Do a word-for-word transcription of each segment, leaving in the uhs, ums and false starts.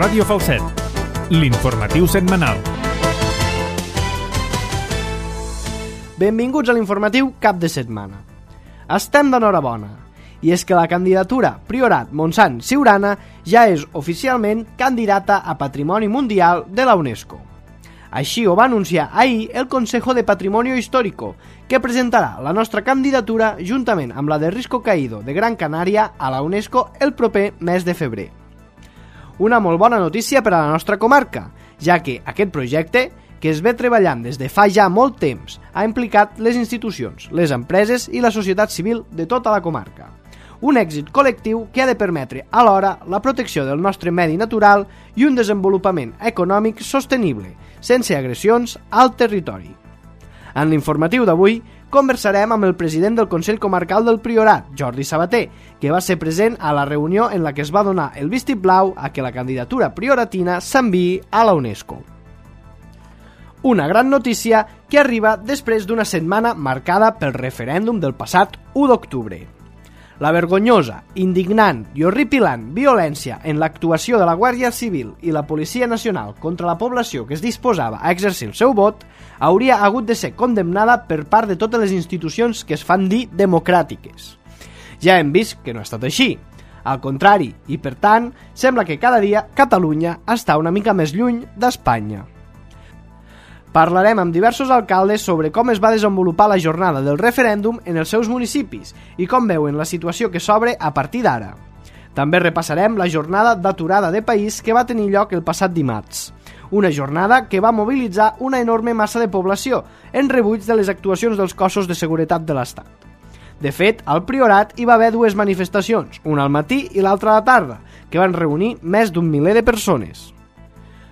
Ràdio Falset, l'informatiu setmanal. Benvinguts a l'informatiu cap de setmana. Estem d'enhorabona, i és que la candidatura Priorat Montsant Siurana ja és oficialment candidata a Patrimoni Mundial de la UNESCO. Així ho va anunciar ahir el Consejo de Patrimonio Histórico, que presentarà la nostra candidatura juntament amb la de Risco Caído de Gran Canària a la UNESCO el proper mes de febrer. Una molt bona notícia per a la nostra comarca, ja que aquest projecte, que es ve treballant des de fa ja molt temps, ha implicat les institucions, les empreses i la societat civil de tota la comarca. Un èxit col·lectiu que ha de permetre alhora la protecció del nostre medi natural i un desenvolupament econòmic sostenible, sense agressions al territori. En l'informatiu d'avui conversarem amb el president del Consell Comarcal del Priorat, Jordi Sabater, que va ser present a la reunió en la que es va donar el vistiplau a que la candidatura prioratina s'enviï a la UNESCO. Una gran notícia que arriba després d'una setmana marcada pel referèndum del passat u d'octubre. La vergonyosa, indignant i horripilant violència en l'actuació de la Guàrdia Civil i la Policia Nacional contra la població que es disposava a exercir el seu vot hauria hagut de ser condemnada per part de totes les institucions que es fan dir democràtiques. Ja hem vist que no ha estat així. Al contrari, i per tant, sembla que cada dia Catalunya està una mica més lluny d'Espanya. Parlarem amb diversos alcaldes sobre com es va desenvolupar la jornada del referèndum en els seus municipis i com veuen la situació que s'obre a partir d'ara. També repassarem la jornada d'aturada de país que va tenir lloc el passat dimarts. Una jornada que va mobilitzar una enorme massa de població en rebuig de les actuacions dels cossos de seguretat de l'Estat. De fet, al Priorat hi va haver dues manifestacions, una al matí i l'altra a la tarda, que van reunir més d'un miler de persones.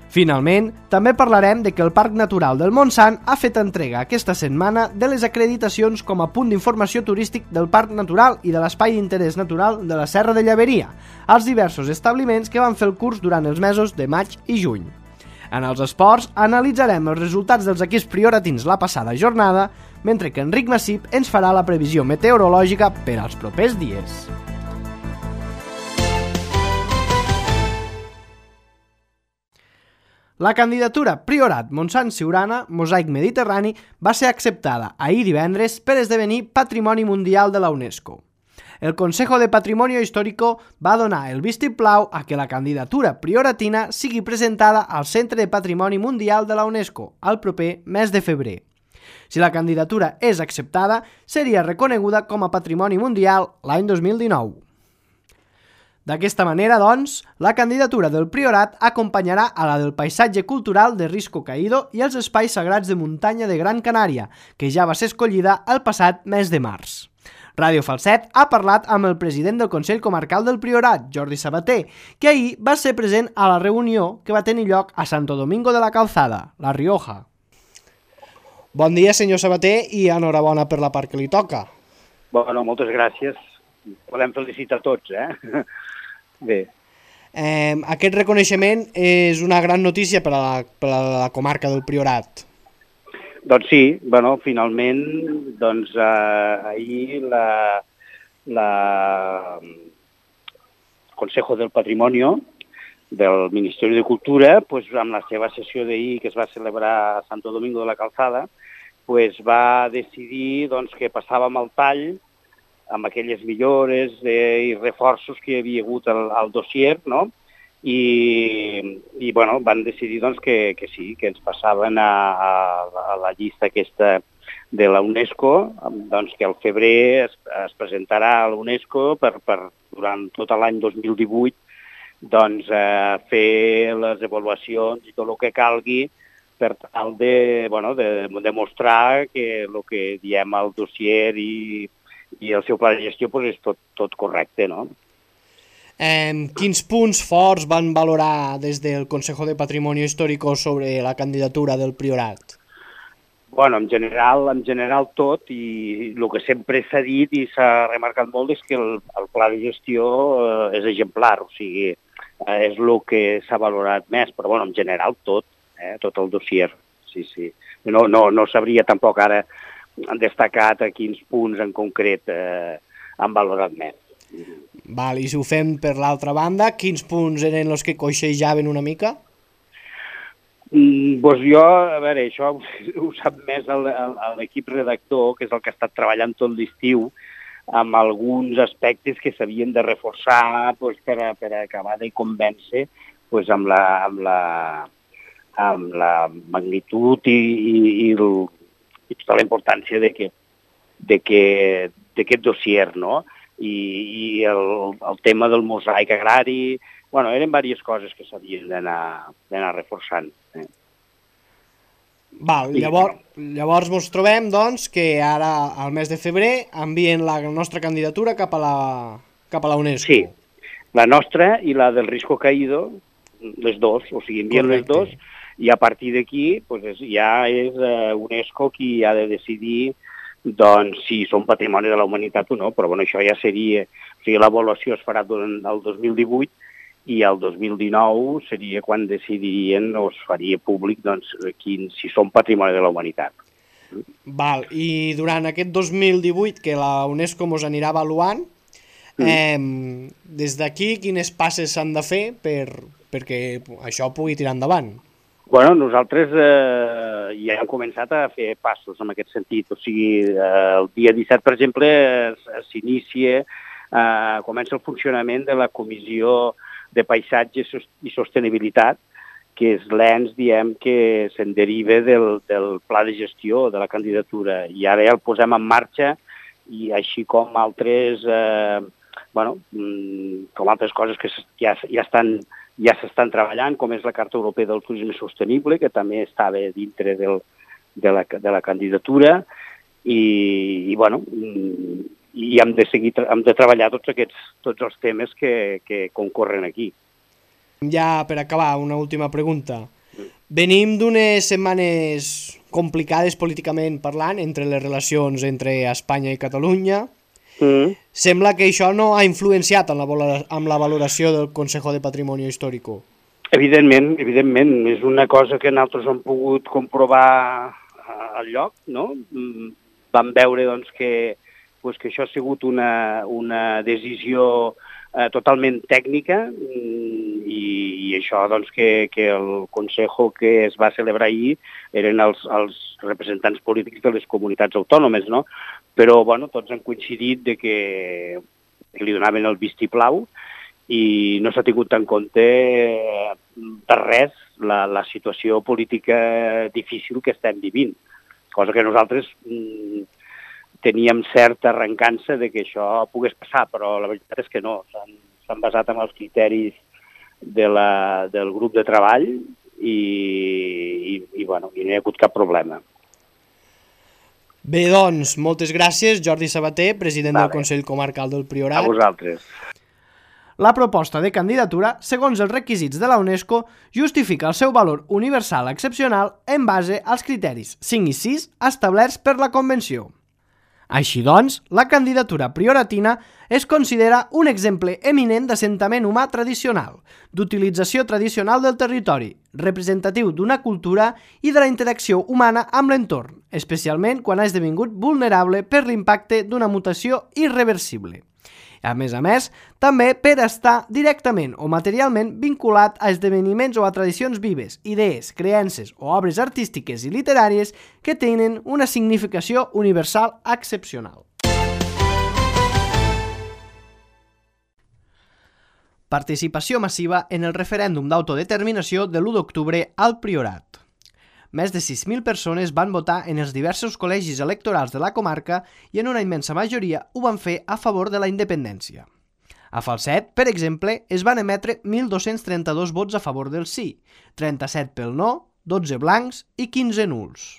Finalment, també parlarem de que el Parc Natural del Montsant ha fet entrega aquesta setmana de les acreditacions com a punt d'informació turístic del Parc Natural i de l'Espai d'Interès Natural de la Serra de Llaveria, als diversos establiments que van fer el curs durant els mesos de maig i juny. En els esports, analitzarem els resultats dels equips prioratins la passada jornada, mentre que Enric Massip ens farà la previsió meteorològica per als propers dies. La candidatura Priorat Montsant Siurana, Mosaic Mediterrani, va ser acceptada ahir divendres per esdevenir Patrimoni Mundial de la UNESCO. El Consejo de Patrimonio Histórico va donar el vistiplau a que la candidatura prioratina sigui presentada al Centre de Patrimoni Mundial de la UNESCO al proper mes de febrer. Si la candidatura és acceptada, seria reconeguda com a Patrimoni Mundial l'any dos mil dinou. D'aquesta manera, doncs, la candidatura del Priorat acompanyarà a la del paisatge cultural de Risco Caído i els espais sagrats de muntanya de Gran Canària, que ja va ser escollida el passat mes de març. Ràdio Falset ha parlat amb el president del Consell Comarcal del Priorat, Jordi Sabater, que ahir va ser present a la reunió que va tenir lloc a Santo Domingo de la Calzada, La Rioja. Bon dia, senyor Sabater, i enhorabona per la part que li toca. Bueno, moltes gràcies. Podem felicitar tots, eh? Bé. Eh, aquest reconeixement és una gran notícia per a la, per a la comarca del Priorat. Doncs sí, bueno, finalment, doncs eh, ahir la, la Consejo del Patrimonio del Ministeri de Cultura, pues, amb la seva sessió d'ahir que es va celebrar a Santo Domingo de la Calzada, pues, va decidir doncs, que passàvem al tall amb aquelles millores eh, i reforços que hi havia hagut al, al dossier, no? I, i bueno, van decidir doncs, que, que sí, que ens passaven a, a, a la llista aquesta de la UNESCO, doncs, que al febrer es, es presentarà a la UNESCO per, per, durant tot l'any dos mil divuit doncs, eh, fer les avaluacions i tot el que calgui per tal de, bueno, de demostrar que el que diem al dossier i i el seu pla de gestió pues, és tot, tot correcte, no? Eh, quins punts forts van valorar des del Consejo de Patrimonio Histórico sobre la candidatura del Priorat? Bueno, en general, en general tot, i el que sempre s'ha dit i s'ha remarcat molt és que el, el pla de gestió eh, és exemplar, o sigui, eh, és el que s'ha valorat més, però bueno, en general tot, eh, tot el dossier, sí, sí. No, no, no sabria tampoc ara han destacat a quins punts en concret eh, han valorat més. Val, i si ho fem per l'altra banda, quins punts eren els que coixejaven una mica? Mm, doncs jo, a veure, això ho sap més l'equip redactor, que és el que ha estat treballant tot l'estiu, amb alguns aspectes que s'havien de reforçar doncs, per, a, per a acabar de convèncer doncs, amb, la, amb, la, amb la magnitud i, i, i, el, i tota la importància de que, de que, d'aquest dossier, no? I, i el, el tema del mosaic agrari, bueno, eren diverses coses que s'havien d'anar reforçant. Eh? Val, llavors, llavors ens trobem doncs, que ara, al mes de febrer, envien la nostra candidatura cap a la, cap a la UNESCO. Sí, la nostra i la del Risco Caído, les dos, o sigui, envien les dos, i a partir d'aquí pues, ja és uh, UNESCO qui ha de decidir doncs, si són patrimoni de la humanitat o no, però bueno, això ja seria, o sigui, l'avaluació es farà durant el dos mil divuit i el dos mil dinou seria quan decidirien o es faria públic doncs, quin, si són patrimoni de la humanitat. Val, i durant aquest dos mil divuit que la UNESCO ens anirà avaluant, mm. eh, des d'aquí quines passes s'han de fer per, perquè això pugui tirar endavant? Bueno, nosaltres eh, ja hem començat a fer passos en aquest sentit. O sigui, eh, el dia disset, per exemple, s'inicia, eh, comença el funcionament de la Comissió de Paisatge i Sostenibilitat, que és l'ens, diem, que se'n deriva del, del pla de gestió de la candidatura. I ara ja el posem en marxa, i així com altres, eh, bueno, com altres coses que ja, ja estan... ja s'estan treballant, com és la Carta Europea del Turisme Sostenible, que també estava dintre del, de, la, de la candidatura, i, i bueno, i hem de, seguir, hem de treballar tots aquests tots els temes que, que concorren aquí. Ja per acabar, una última pregunta. Venim d'unes setmanes complicades políticament parlant entre les relacions entre Espanya i Catalunya. Mm. Sembla que això no ha influenciat en la, amb la valoració del Consejo de Patrimonio Histórico. Evidentment, evidentment. És una cosa que nosaltres hem pogut comprovar al lloc, no? Vam veure doncs, que, doncs, que això ha sigut una, una decisió eh, totalment tècnica i, i això doncs, que, que el Consejo que es va celebrar ahir eren els, els representants polítics de les comunitats autònomes, no? Però bueno, tots han coincidit de que, que li donaven el vistiplau i no s'ha tingut en compte de res la, la situació política difícil que estem vivint, cosa que nosaltres mm, teníem certa arrencança de que això pogués passar, però la veritat és que no, s'han basat en els criteris de la, del grup de treball i, i, i, bueno, i no hi ha hagut cap problema. Bé, doncs, moltes gràcies, Jordi Sabater, president vale. del Consell Comarcal del Priorat. A vosaltres. La proposta de candidatura, segons els requisits de la UNESCO, justifica el seu valor universal excepcional en base als criteris cinc i sis establerts per la Convenció. Així doncs, la candidatura prioratina es considera un exemple eminent d'assentament humà tradicional, d'utilització tradicional del territori, representatiu d'una cultura i de la interacció humana amb l'entorn, especialment quan ha esdevingut vulnerable per l'impacte d'una mutació irreversible. A més a més, també per estar directament o materialment vinculat a esdeveniments o a tradicions vives, idees, creences o obres artístiques i literàries que tenen una significació universal excepcional. Participació massiva en el referèndum d'autodeterminació de l'u d'octubre al Priorat. Més de sis mil persones van votar en els diversos col·legis electorals de la comarca i en una immensa majoria ho van fer a favor de la independència. A Falset, per exemple, es van emetre mil dos-cents trenta-dos vots a favor del sí, trenta-set pel no, dotze blancs i quinze nuls.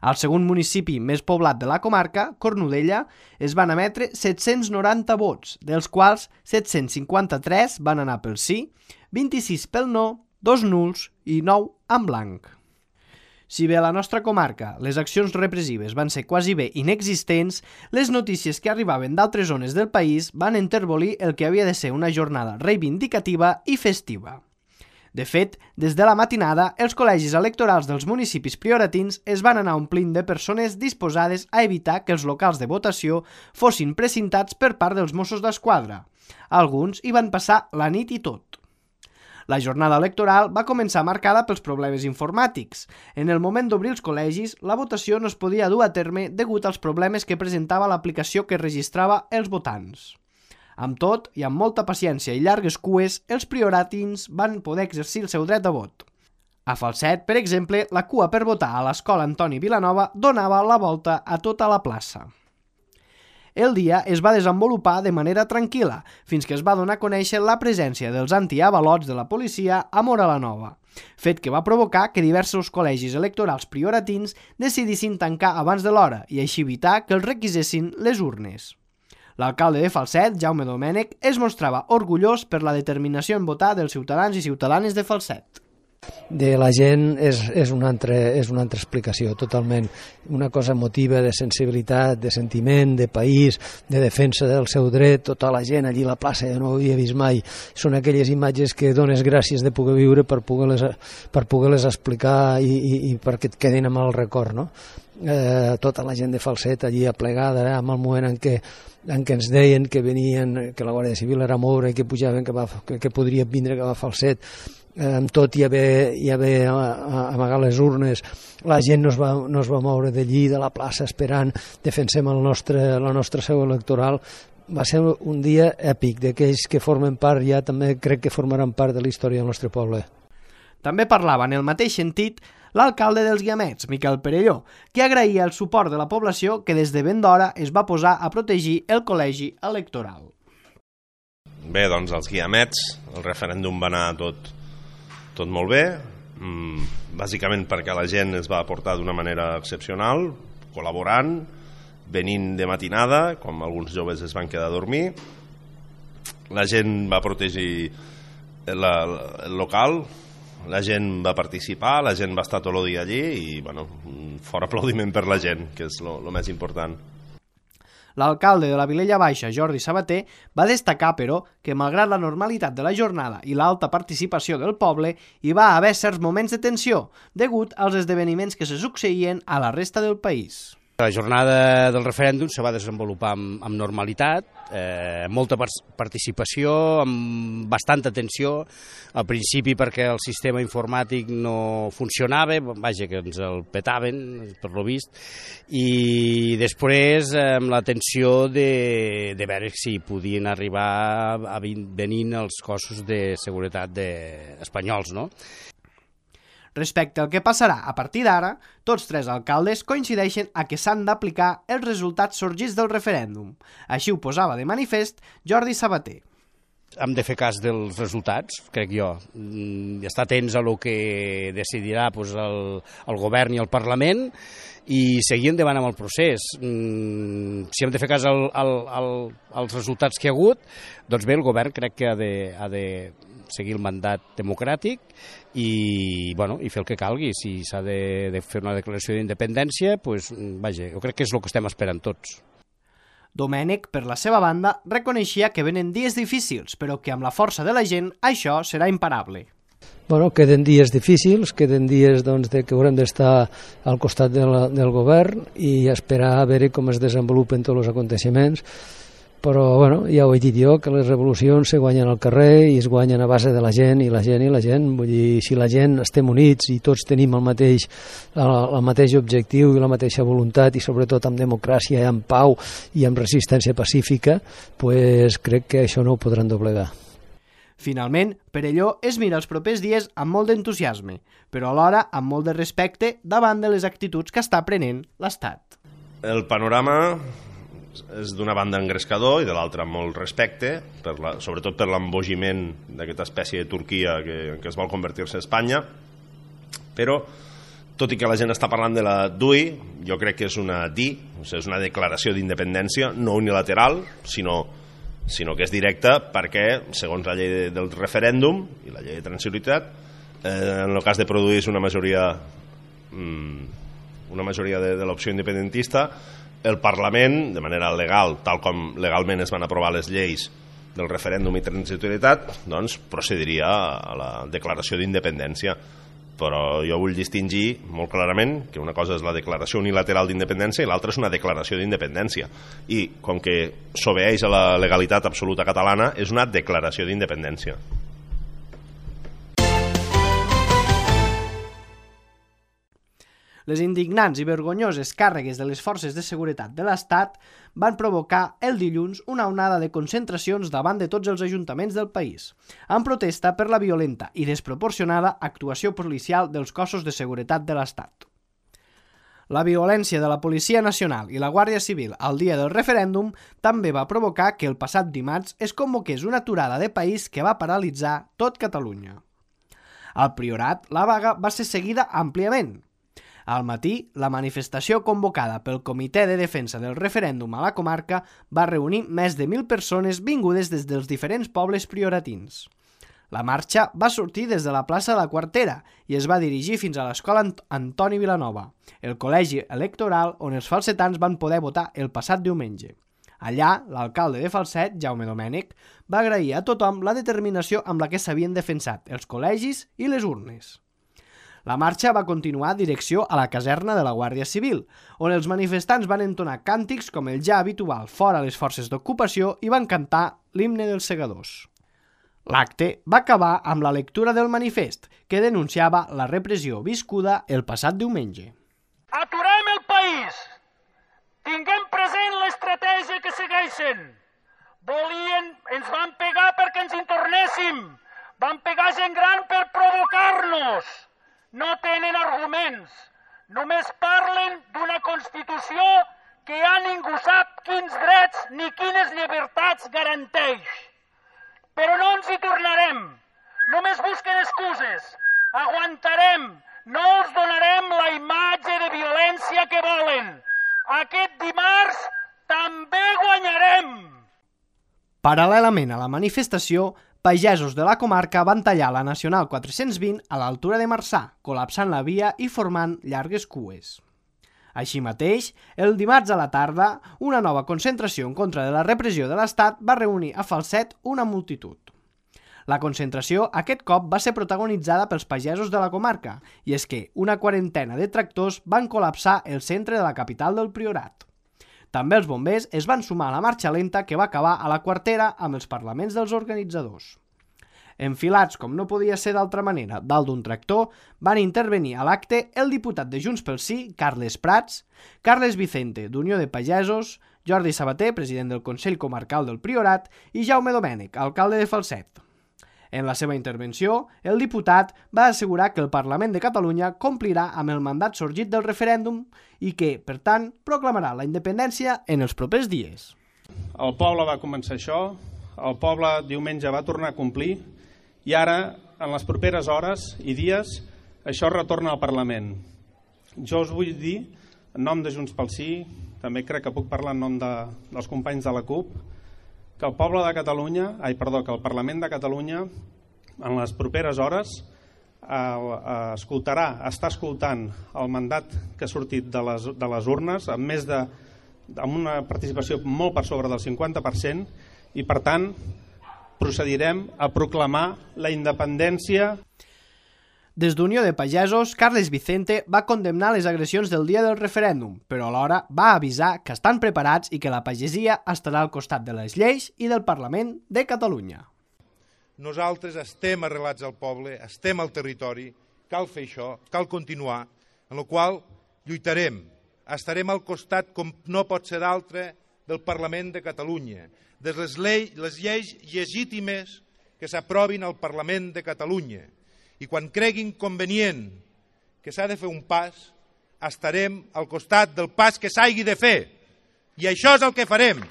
Al segon municipi més poblat de la comarca, Cornudella, es van emetre set-cents noranta vots, dels quals set-cents cinquanta-tres van anar pel sí, vint-i-sis pel no, dos nuls i nou en blanc. Si bé a la nostra comarca les accions repressives van ser quasi bé inexistents, les notícies que arribaven d'altres zones del país van enterbolir el que havia de ser una jornada reivindicativa i festiva. De fet, des de la matinada, els col·legis electorals dels municipis prioratins es van anar omplint de persones disposades a evitar que els locals de votació fossin precintats per part dels Mossos d'Esquadra. Alguns hi van passar la nit i tot. La jornada electoral va començar marcada pels problemes informàtics. En el moment d'obrir els col·legis, la votació no es podia dur a terme degut als problemes que presentava l'aplicació que registrava els votants. Amb tot, i amb molta paciència i llargues cues, els prioratins van poder exercir el seu dret a vot. A Falset, per exemple, la cua per votar a l'escola Antoni Vilanova donava la volta a tota la plaça. El dia es va desenvolupar de manera tranquil·la, fins que es va donar a conèixer la presència dels antiavalots de la policia a Móra la Nova, fet que va provocar que diversos col·legis electorals prioratins decidissin tancar abans de l'hora i així evitar que els requisessin les urnes. L'alcalde de Falset, Jaume Domènech, es mostrava orgullós per la determinació en votar dels ciutadans i ciutadanes de Falset. De la gent és, és, una altra, és una altra explicació, totalment. Una cosa emotiva, de sensibilitat, de sentiment, de país, de defensa del seu dret, tota la gent allí a la plaça, jo no ho havia vist mai. Són aquelles imatges que dones gràcies de poder viure per poder-les per poder-les explicar i, i, i perquè et quedin amb el record, no? Eh, tota la gent de Falset allí aplegada, eh, amb el moment en què, en què ens deien que venien, que la Guàrdia Civil era moure i que pujaven, que, va, que, que podria vindre cap a Falset, eh, amb tot i haver, i haver amagat les urnes, la gent no es va, no es va moure d'allí, de la plaça, esperant, defensem el nostre, la nostra seu electoral. Va ser un dia èpic, d'aquells que formen part, ja també crec que formaran part de la història del nostre poble. També parlava en el mateix sentit l'alcalde dels Guiamets, Miquel Perelló, que agraïa el suport de la població que des de ben d'hora es va posar a protegir el col·legi electoral. Bé, doncs els Guiamets, el referèndum va anar tot, tot molt bé, bàsicament perquè la gent es va aportar d'una manera excepcional, col·laborant, venint de matinada, com alguns joves es van quedar a dormir. La gent va protegir la, el local, la gent va participar, la gent va estar tot el dia allí i, bueno, un fort aplaudiment per la gent, que és el més important. L'alcalde de la Vilella Baixa, Jordi Sabater, va destacar, però, que malgrat la normalitat de la jornada i l'alta participació del poble, hi va haver certs moments de tensió, degut als esdeveniments que se succeïen a la resta del país. La jornada del referèndum se va desenvolupar amb, amb normalitat, eh, molta participació, amb bastanta atenció, al principi perquè el sistema informàtic no funcionava, vaja, que ens el petaven, per lo vist, i després amb l'atenció de, de veure si podien arribar a venir els cossos de seguretat de, espanyols, no? Respecte al que passarà a partir d'ara, tots tres alcaldes coincideixen a que s'han d'aplicar els resultats sorgits del referèndum. Així ho posava de manifest Jordi Sabater. Hem de fer cas dels resultats, crec jo, i estar atents a lo que decidirà pues, el, el govern i el Parlament i seguir endavant amb el procés. Si hem de fer cas al, al, al, als resultats que hi ha hagut, doncs bé, el govern crec que ha de, ha de seguir el mandat democràtic i, bueno, i fer el que calgui. Si s'ha de, de fer una declaració d'independència, pues, vaja, jo crec que és el que estem esperant tots. Domènech, per la seva banda, reconeixia que venen dies difícils, però que amb la força de la gent això serà imparable. Bueno, queden dies difícils, queden dies doncs, de que haurem d'estar al costat de la, del govern i esperar a veure com es desenvolupen tots els aconteixements. Però bueno, ja ho he dit jo, que les revolucions se guanyen al carrer i es guanyen a base de la gent i la gent i la gent. Vull dir, si la gent estem units i tots tenim el mateix, el, el mateix objectiu i la mateixa voluntat i sobretot amb democràcia i amb pau i amb resistència pacífica, pues crec que això no ho podran doblegar. Finalment, Perelló es mira els propers dies amb molt d'entusiasme, però alhora amb molt de respecte davant de les actituds que està prenent l'Estat. El panorama és d'una banda engrescador i de l'altra molt respecte, per la, sobretot per l'embogiment d'aquesta espècie de Turquia que, que es vol convertir-se a Espanya, però tot i que la gent està parlant de la D U I, jo crec que és una D I, o sigui, és una declaració d'independència no unilateral, sinó, sinó que és directa perquè, segons la llei de, del referèndum i la llei de transitorietat, eh, en el cas de produir una majoria, una majoria de, de l'opció independentista, el Parlament, de manera legal, tal com legalment es van aprovar les lleis del referèndum i transitorietat, doncs procediria a la declaració d'independència. Però jo vull distingir molt clarament que una cosa és la declaració unilateral d'independència i l'altra és una declaració d'independència. I com que s'obeeix a la legalitat absoluta catalana, és una declaració d'independència. Les indignants i vergonyoses càrregues de les forces de seguretat de l'Estat van provocar el dilluns una onada de concentracions davant de tots els ajuntaments del país, en protesta per la violenta i desproporcionada actuació policial dels cossos de seguretat de l'Estat. La violència de la Policia Nacional i la Guàrdia Civil al dia del referèndum també va provocar que el passat dimarts es convoqués una aturada de país que va paralitzar tot Catalunya. Al Priorat, la vaga va ser seguida àmpliament. Al matí, la manifestació convocada pel Comitè de Defensa del Referèndum a la comarca va reunir més de mil persones vingudes des dels diferents pobles prioratins. La marxa va sortir des de la plaça de la Quartera i es va dirigir fins a l'escola Antoni Vilanova, el col·legi electoral on els falsetans van poder votar el passat diumenge. Allà, l'alcalde de Falset, Jaume Domènech, va agrair a tothom la determinació amb la que s'havien defensat els col·legis i les urnes. La marxa va continuar direcció a la caserna de la Guàrdia Civil, on els manifestants van entonar càntics com el ja habitual fora les forces d'ocupació i van cantar l'himne dels segadors. L'acte va acabar amb la lectura del manifest, que denunciava la repressió viscuda el passat diumenge. Aturem el país! Tinguem present l'estratègia que segueixen. Volien, ens van pegar perquè ens hi tornéssim. Van pegar gent gran per provocar-nos. No tenen arguments, només parlen d'una Constitució que ja ningú sap quins drets ni quines llibertats garanteix. Però no ens hi tornarem, només busquen excuses, aguantarem, no els donarem la imatge de violència que volen. Aquest dimarts també guanyarem! Paral·lelament a la manifestació, pagesos de la comarca van tallar la Nacional quatre-cents vint a l'altura de Marçà, col·lapsant la via i formant llargues cues. Així mateix, el dimarts a la tarda, una nova concentració en contra de la repressió de l'Estat va reunir a Falset una multitud. La concentració aquest cop va ser protagonitzada pels pagesos de la comarca, i és que una quarantena de tractors van col·lapsar el centre de la capital del Priorat. També els bombers es van sumar a la marxa lenta que va acabar a la Quartera amb els parlaments dels organitzadors. Enfilats, com no podia ser d'altra manera, dalt d'un tractor, van intervenir a l'acte el diputat de Junts pel Sí, Carles Prats, Carles Vicente, d'Unió de Pagesos, Jordi Sabater, president del Consell Comarcal del Priorat, i Jaume Domènech, alcalde de Falset. En la seva intervenció, el diputat va assegurar que el Parlament de Catalunya complirà amb el mandat sorgit del referèndum i que, per tant, proclamarà la independència en els propers dies. El poble va començar això, el poble diumenge va tornar a complir i ara, en les properes hores i dies, això retorna al Parlament. Jo us vull dir, en nom de Junts pel Sí, també crec que puc parlar en nom de, dels companys de la CUP, que el poble de Catalunya, ai, perdó, que el Parlament de Catalunya en les properes hores eh, escoltarà, està escoltant el mandat que ha sortit de les, de les urnes amb més de, amb una participació molt per sobre del cinquanta per cent i per tant procedirem a proclamar la independència. Des d'Unió de Pagesos, Carles Vicente va condemnar les agressions del dia del referèndum, però alhora va avisar que estan preparats i que la pagesia estarà al costat de les lleis i del Parlament de Catalunya. Nosaltres estem arrelats al poble, estem al territori, cal fer això, cal continuar, en la qual lluitarem, estarem al costat, com no pot ser d'altre, del Parlament de Catalunya, de les, llei, les lleis legítimes que s'aprovin al Parlament de Catalunya. I quan creguin convenient que s'ha de fer un pas, estarem al costat del pas que s'hagi de fer. I això és el que farem.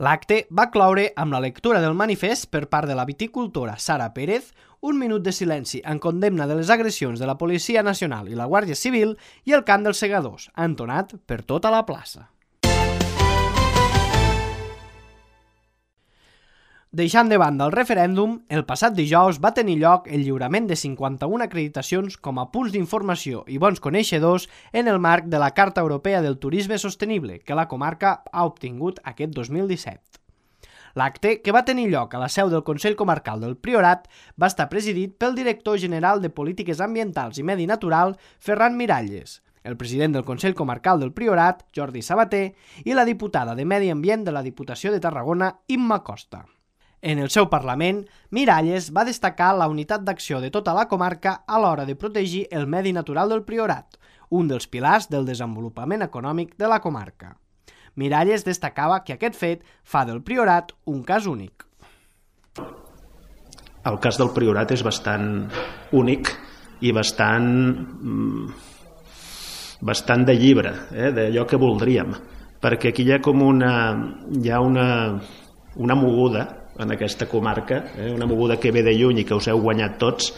L'acte va cloure amb la lectura del manifest per part de la viticultora Sara Pérez, un minut de silenci en condemna de les agressions de la Policia Nacional i la Guàrdia Civil i el cant dels segadors, entonat per tota la plaça. Deixant de banda el referèndum, el passat dijous va tenir lloc el lliurament de cinquanta-una acreditacions com a punts d'informació i bons coneixedors en el marc de la Carta Europea del Turisme Sostenible que la comarca ha obtingut aquest dos mil disset. L'acte, que va tenir lloc a la seu del Consell Comarcal del Priorat, va estar presidit pel director general de Polítiques Ambientals i Medi Natural, Ferran Miralles, el president del Consell Comarcal del Priorat, Jordi Sabater, i la diputada de Medi Ambient de la Diputació de Tarragona, Imma Costa. En el seu Parlament, Miralles va destacar la unitat d'acció de tota la comarca a l'hora de protegir el medi natural del Priorat, un dels pilars del desenvolupament econòmic de la comarca. Miralles destacava que aquest fet fa del Priorat un cas únic. El cas del Priorat és bastant únic i bastant, bastant de llibre, eh, d'allò que voldríem, perquè aquí hi ha com una, hi ha una, una moguda en aquesta comarca, eh, una moguda que ve de lluny i que us heu guanyat tots,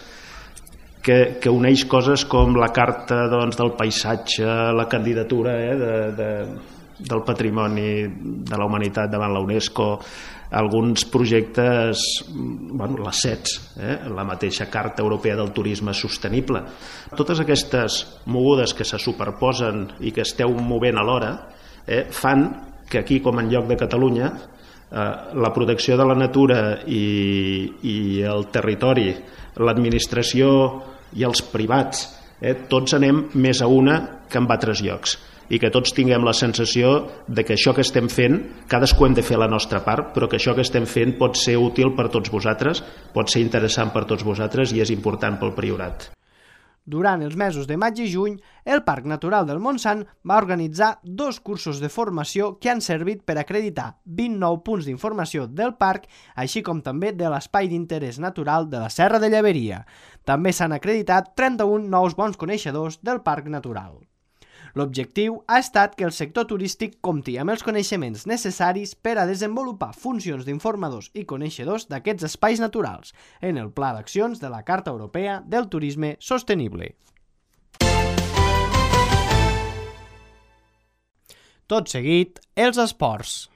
que, que uneix coses com la carta doncs, del paisatge, la candidatura eh, de, de, del patrimoni de la humanitat davant la UNESCO, alguns projectes, bueno, les S E Ts, eh, la mateixa Carta Europea del Turisme Sostenible. Totes aquestes mogudes que se superposen i que esteu movent alhora eh, fan que aquí, com en lloc de Catalunya, la protecció de la natura i, i el territori, l'administració i els privats, eh, tots anem més a una que en altres llocs i que tots tinguem la sensació de que això que estem fent, cadascú hem de fer la nostra part, però que això que estem fent pot ser útil per tots vosaltres, pot ser interessant per tots vosaltres i és important pel Priorat. Durant els mesos de maig i juny, el Parc Natural del Montsant va organitzar dos cursos de formació que han servit per acreditar vint nou punts d'informació del parc, així com també de l'Espai d'Interès Natural de la Serra de Lleberia. També s'han acreditat trenta-un nous bons coneixedors del Parc Natural. L'objectiu ha estat que el sector turístic compti amb els coneixements necessaris per a desenvolupar funcions d'informadors i coneixedors d'aquests espais naturals en el Pla d'Accions de la Carta Europea del Turisme Sostenible. Tot seguit, els esports.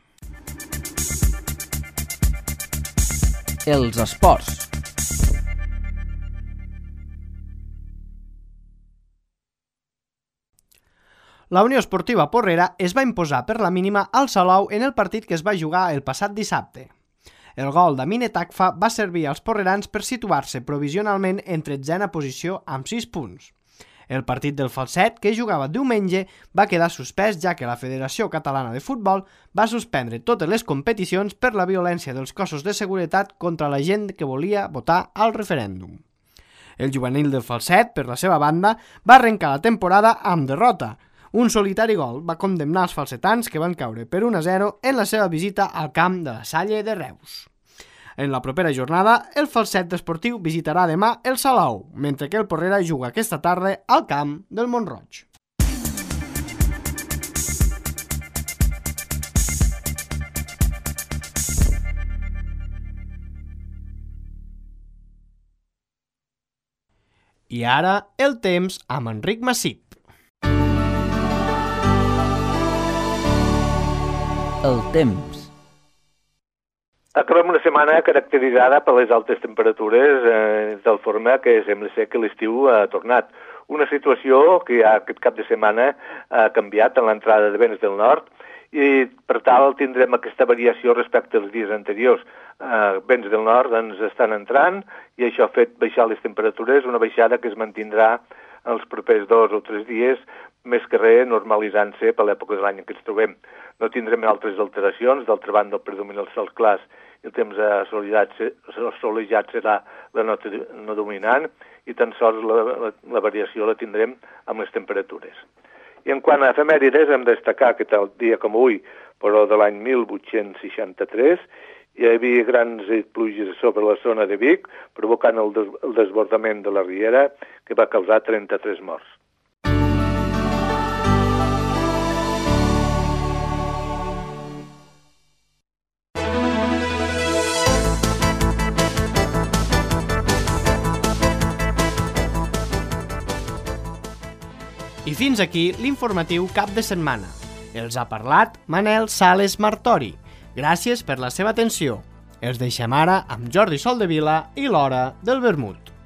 Els esports. La Unió Esportiva Porrera es va imposar per la mínima al Salou en el partit que es va jugar el passat dissabte. El gol d'Amine Takfa va servir als porrerans per situar-se provisionalment en tretzena posició amb sis punts. El partit del Falset, que jugava diumenge, va quedar suspès ja que la Federació Catalana de Futbol va suspendre totes les competicions per la violència dels cossos de seguretat contra la gent que volia votar al referèndum. El juvenil del Falset, per la seva banda, va arrencar la temporada amb derrota. Un solitari gol va condemnar els falsetans que van caure per un a zero en la seva visita al camp de la Salle de Reus. En la propera jornada, el Falset Esportiu visitarà demà el Salou, mentre que el Porrera juga aquesta tarda al camp del Mont-roig. I ara, el temps amb Enric Massip. El temps. Acabem una setmana caracteritzada per les altes temperatures, eh, de tal forma que sembla ser que l'estiu ha tornat. Una situació que ja aquest cap de setmana ha canviat en l'entrada de vents del nord i per tal tindrem aquesta variació respecte als dies anteriors. Eh, vents del nord ens estan entrant i això ha fet baixar les temperatures, una baixada que es mantindrà els propers dos o tres dies, més que res normalitzant-se per l'època de l'any en què ens trobem. No tindrem altres alteracions, d'altra banda el predomini dels cels clars i el temps assolellat serà la nota no dominant i tan sols la, la, la variació la tindrem amb les temperatures. I en quant a efemèrides hem de destacar que tal dia com avui, però de l'any mil vuit-cents seixanta-tres, hi havia grans pluges sobre la zona de Vic, provocant el, des el desbordament de la riera que va causar trenta-tres morts. I fins aquí l'informatiu cap de setmana. Els ha parlat Manel Sales Martori. Gràcies per la seva atenció. Els deixem ara amb Jordi Soldevila i l'Hora del Vermut.